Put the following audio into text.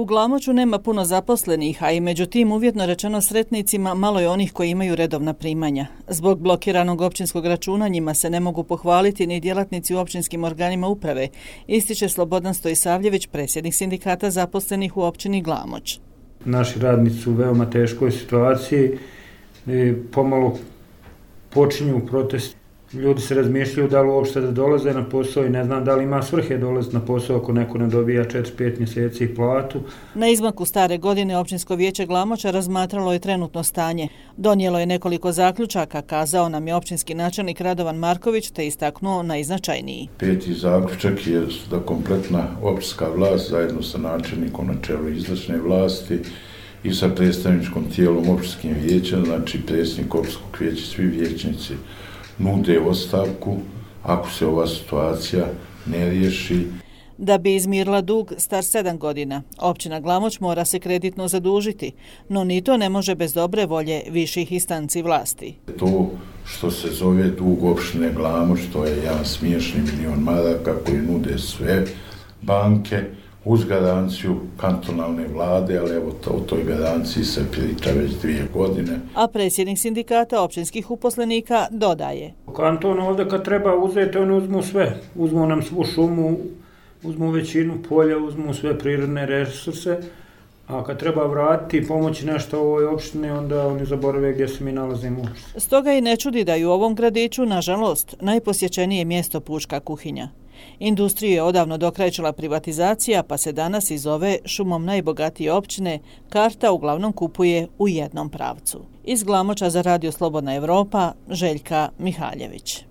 U Glamoču nema puno zaposlenih, a i među tim uvjetno rečeno sretnicima malo je onih koji imaju redovna primanja. Zbog blokiranog općinskog računa njima se ne mogu pohvaliti ni djelatnici u općinskim organima uprave, ističe Slobodan Stojisavljević, predsjednik sindikata zaposlenih u općini Glamoč. Naši radnici su u veoma teškoj situaciji i pomalo počinju protesti. Ljudi se razmišljaju da li uopšte da dolaze na posao i ne znam da li ima svrhe dolaziti na posao ako neko ne dobija 4-5 mjeseci platu. Na izmaku stare godine Općinsko vijeće Glamoča razmatralo je trenutno stanje. Donijelo je nekoliko zaključaka, kazao nam je općinski načelnik Radovan Marković, te istaknuo najznačajniji. Peti zaključak je da kompletna općinska vlast zajedno sa načelnikom na čelu izvršne vlasti i sa predstavničkom tijelom općinskim vijećem, znači predsjednik općinskog vijeća, svi vijećnici nude ostavku ako se ova situacija ne riješi. Da bi izmirila dug star 7 godina, općina Glamoč mora se kreditno zadužiti, no ni to ne može bez dobre volje viših instanci vlasti. To što se zove dug općine Glamoč, to je jedan smiješni milion maraka koji nude sve banke uz garanciju kantonalne vlade, ali evo o toj garanciji se priča već 2 godine. A predsjednik sindikata općinskih uposlenika dodaje. Kanton ovdje kad treba uzeti, oni uzmu sve. Uzmu nam svu šumu, uzmu većinu polja, uzmu sve prirodne resurse, a kad treba vratiti i pomoći nešto ovoj opštini, onda oni zaborave gdje se mi nalazimo. Stoga i ne čudi da je u ovom gradiću, nažalost, najposjećenije mjesto pučka kuhinja. Industriju je odavno dokrajčila privatizacija, pa se danas iz ove šumom najbogatije općine karta uglavnom kupuje u jednom pravcu. Iz Glamoča za Radio Slobodna Evropa, Željka Mihaljević.